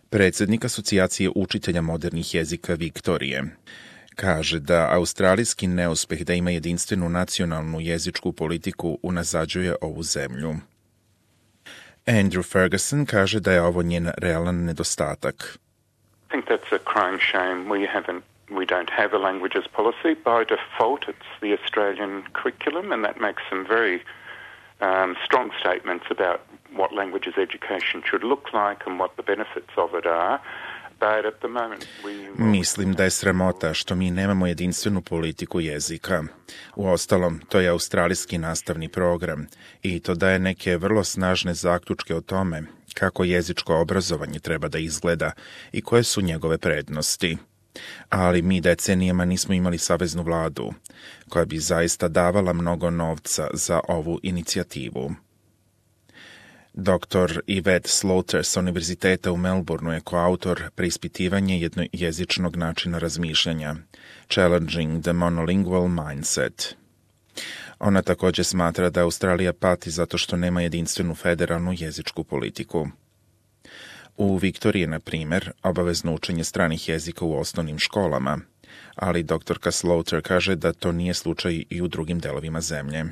Predsjednik Asocijacije učitelja modernih jezika Viktorije kaže da australijski neuspeh da ima jedinstvenu nacionalnu jezičku politiku unazađuje ovu zemlju. Andrew Ferguson kaže da je ovo njen realan nedostatak. I think that's a crying shame. We don't have a languages policy. By default, it's the Australian curriculum, and that makes some very strong statements about what languages education should look like and what the benefits of it are. Mislim da je sramota što mi nemamo jedinstvenu politiku jezika. Uostalom, to je australijski nastavni program i to daje neke vrlo snažne zaključke o tome kako jezičko obrazovanje treba da izgleda i koje su njegove prednosti. Ali mi decenijama nismo imali saveznu vladu, koja bi zaista davala mnogo novca za ovu inicijativu. Dr. Yvette Slaughter sa Univerziteta u Melbourneu je koautor preispitivanja jednojezičnog načina razmišljanja, Challenging the Monolingual Mindset. Ona također smatra da Australija pati zato što nema jedinstvenu federalnu jezičku politiku. U Viktoriji, na primjer, obavezno učenje stranih jezika u osnovnim školama, ali dr. Slaughter kaže da to nije slučaj i u drugim delovima zemlje.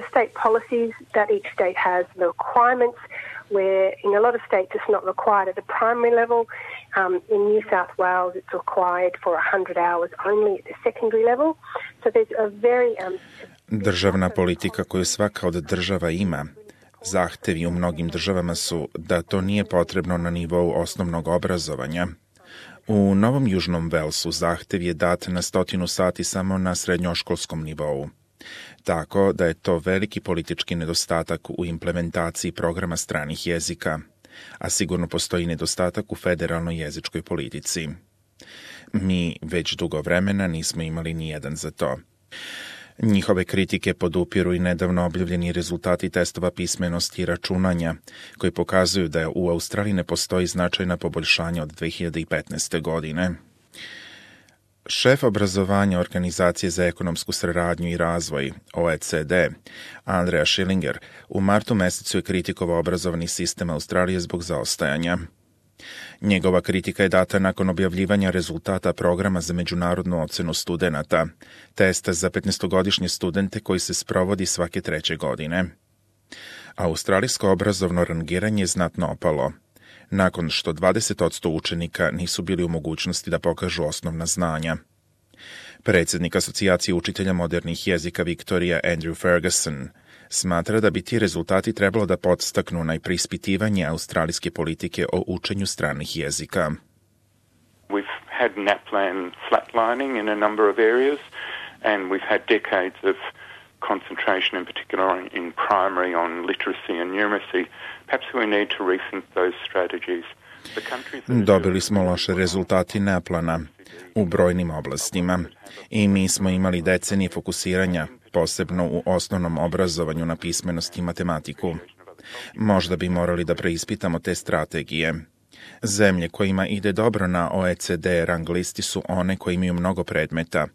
The state policies that each state has, the requirements, where in a lot of states it's not required at the primary level. In New South Wales it's required for 100 hours only at the secondary level. So there's a very... Državna politika koju svaka od država ima, zahtevi u mnogim državama su da to nije potrebno na nivou osnovnog obrazovanja. U Novom Južnom Velsu zahtev je dat na 100 sati samo na srednjoškolskom nivou. Tako da je to veliki politički nedostatak u implementaciji programa stranih jezika, a sigurno postoji nedostatak u federalnoj jezičkoj politici. Mi već dugo vremena nismo imali nijedan za to. Njihove kritike podupiru i nedavno objavljeni rezultati testova pismenosti i računanja, koji pokazuju da u Australiji ne postoji značajna poboljšanja od 2015. godine. Šef obrazovanja Organizacije za ekonomsku saradnju i razvoj, OECD, Andrea Schillinger, u martu mesecu je kritikovao obrazovni sistem Australije zbog zaostajanja. Njegova kritika je data nakon objavljivanja rezultata programa za međunarodnu ocenu studenata, testa za 15-godišnje studente koji se sprovodi svake 3. godine. Australijsko obrazovno rangiranje je znatno opalo, nakon što 20% učenika nisu bili u mogućnosti da pokažu osnovna znanja. Predsjednik Asocijacije učitelja modernih jezika Viktorija Andrew Ferguson smatra da bi ti rezultati trebalo da podstaknu na preispitivanje australijske politike o učenju stranih jezika. We've had NAPLAN flatlining in a number of areas and we've had decades of concentration in particular in primary on literacy and numeracy. Perhaps we need to rethink those strategies. Dobili smo loše rezultati NAPLAN-a u brojnim oblastima i mi smo imali decenije fokusiranja, posebno u osnovnom obrazovanju na pismenost i matematiku. Možda bi morali da preispitamo te strategije. Zemlje kojima ide dobro na OECD rang listi su one koje imaju mnogo predmeta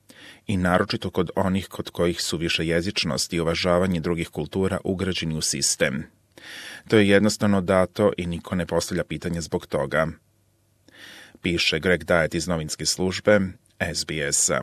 i naročito kod onih kod kojih su višejezičnost i uvažavanje drugih kultura ugrađeni u sistem. To je jednostavno dato i niko ne postavlja pitanje zbog toga. Piše Greg Diet iz novinske službe SBS-a.